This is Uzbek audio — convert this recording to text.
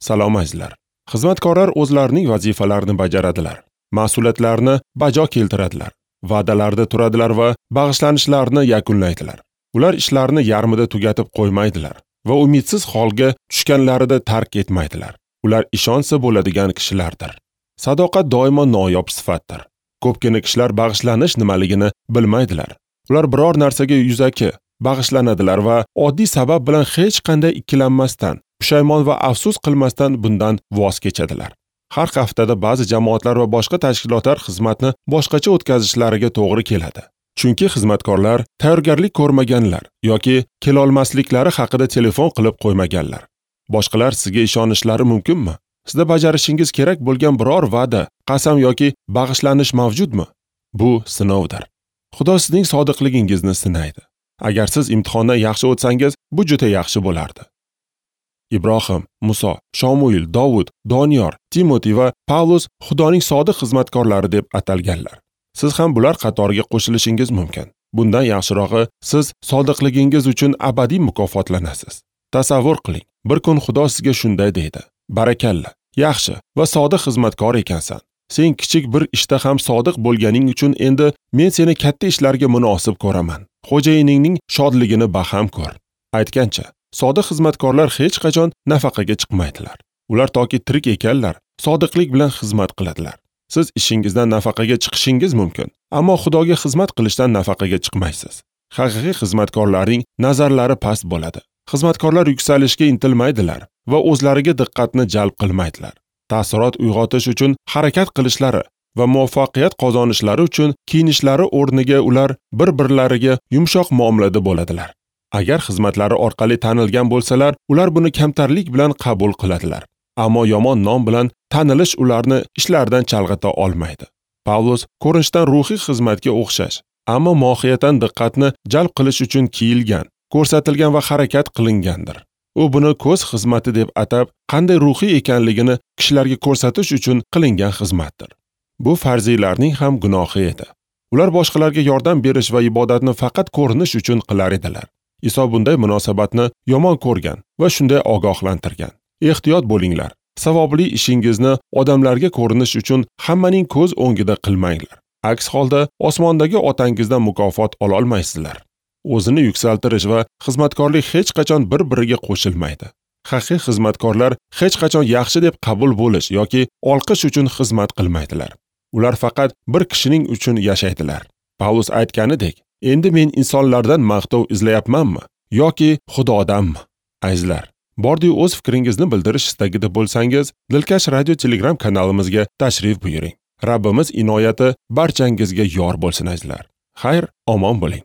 Salom azizlar. Xizmatkorlar o'zlarining vazifalarini bajaradilar, mas'uliyatlarini bajo keltiradilar, va'dalarda turadilar va bag'ishlanishlarini yakunlaydilar. Ular ishlarini yarmida tugatib qo'ymaydilar va umidsiz holga tushganlarida tark etmaydilar. Ular ishonsa bo'ladigan kishilardir. Sadoqat doimo noyob sifatdir. Ko'pgina kishilar bag'ishlanish nimaligini bilmaydilar. Ular biror narsaga yuzaki bag'ishlanadilar va oddiy sabab bilan hech qanday ikkilanmasdan, pushaymon va afsus qilmasdan bundan voz kechadilar. Har haftada ba'zi jamoatlar va boshqa tashkilotlar xizmatni boshqacha o'tkazishlariga to'g'ri keladi. Chunki xizmatkorlar tayyorgarlik ko'rmaganlar yoki kelolmasliklari haqida telefon qilib qo'ymaganlar. Boshqalar sizga ishonishlari mumkinmi? Sizda bajarishingiz kerak bo'lgan biror va'da, qasam yoki bag'ishlanish mavjudmi? Bu sinovdir. Xudo sizning sodiqligingizni sinaydi. Agar siz imtihondan yaxshi o'tsangiz, bu juda yaxshi bo'lardi. Ibrohim, Muso, Shomuil, Dovud, Doniyor, Timoti va Pavlus Xudoning sodiq xizmatkorlari deb atalganlar. Siz ham bular qatoriga qo'shilishingiz mumkin. Bundan yaxshirog'i, siz sodiqligingiz uchun abadiy mukofotlanasiz. Tasavvur qiling, bir kun Xudo sizga shunday deydi: Barakalla, yaxshi va sodiq xizmatkor ekansan. Sen kichik bir ishda ham sodiq bo'lganing uchun endi men seni katta ishlarga munosib ko'raman. Xo'jayiningning shodligini baham ko'r. Aytgancha, sodiq xizmatkorlar hech qachon nafaqaga chiqmaydilar. Ular toki tirik ekanlar, sodiqlik bilan xizmat qiladilar. Siz ishingizdan nafaqaga chiqishingiz mumkin, ammo Xudoga xizmat qilishdan nafaqaga chiqmaysiz. Haqiqiy xizmatkorlarning nazarlari past bo'ladi. Xizmatkorlar yuksalishga intilmaydilar va o'zlariga diqqatni jalb qilmaydilar. Ta'sirot uyg'otish uchun harakat qilishlari va muvaffaqiyat qozonishlari uchun kiyinishlari o'rniga ular bir-birlariga yumshoq muomalada bo'ladilar. Agar xizmatlari orqali tanilgan bo'lsalar, ular buni kamtarlik bilan qabul qiladilar. Ammo yomon nom bilan tanilish ularni ishlaridan chalg'ita olmaydi. Pavlus ko'rinishdan ruhiy xizmatga o'xshash, ammo mohiyatan diqqatni jalb qilish uchun kiyilgan, ko'rsatilgan va harakat qilingandir. U buni ko'z xizmati deb atab, qanday ruhiy ekanligini kishilarga ko'rsatish uchun qilingan xizmatdir. Bu farziylarning ham gunohi edi. Ular boshqalarga yordam berish va ibodatni faqat ko'rinish uchun qilar edilar. Iso bunday munosabatni yomon ko'rgan va shunday ogohlantirgan. Ehtiyot bo'linglar. Savobli ishingizni odamlarga ko'rinish uchun hammaning ko'z o'ngida qilmanglar. Aks holda osmondagi otangizdan mukofot ola olmaysizlar. O'zini yuksaltirish va xizmatkorlik hech qachon bir-biriga qo'shilmaydi. Haqiqiy xizmatkorlar hech qachon yaxshi deb qabul bo'lish yoki olqish uchun xizmat qilmaydilar. Ular faqat bir kishining uchun yashaydilar. Pavlus aytganidek, endi men insonlardan maqtov izlayapmanmi yoki Xudodanmi? Azizlar, bordi o'z fikringizni bildirish istagida bo'lsangiz, Dilkash radio Telegram kanalimizga tashrif buyuring. Rabbimiz inoyati barchangizga yor bo'lsin azizlar. Xayr, omon bo'ling.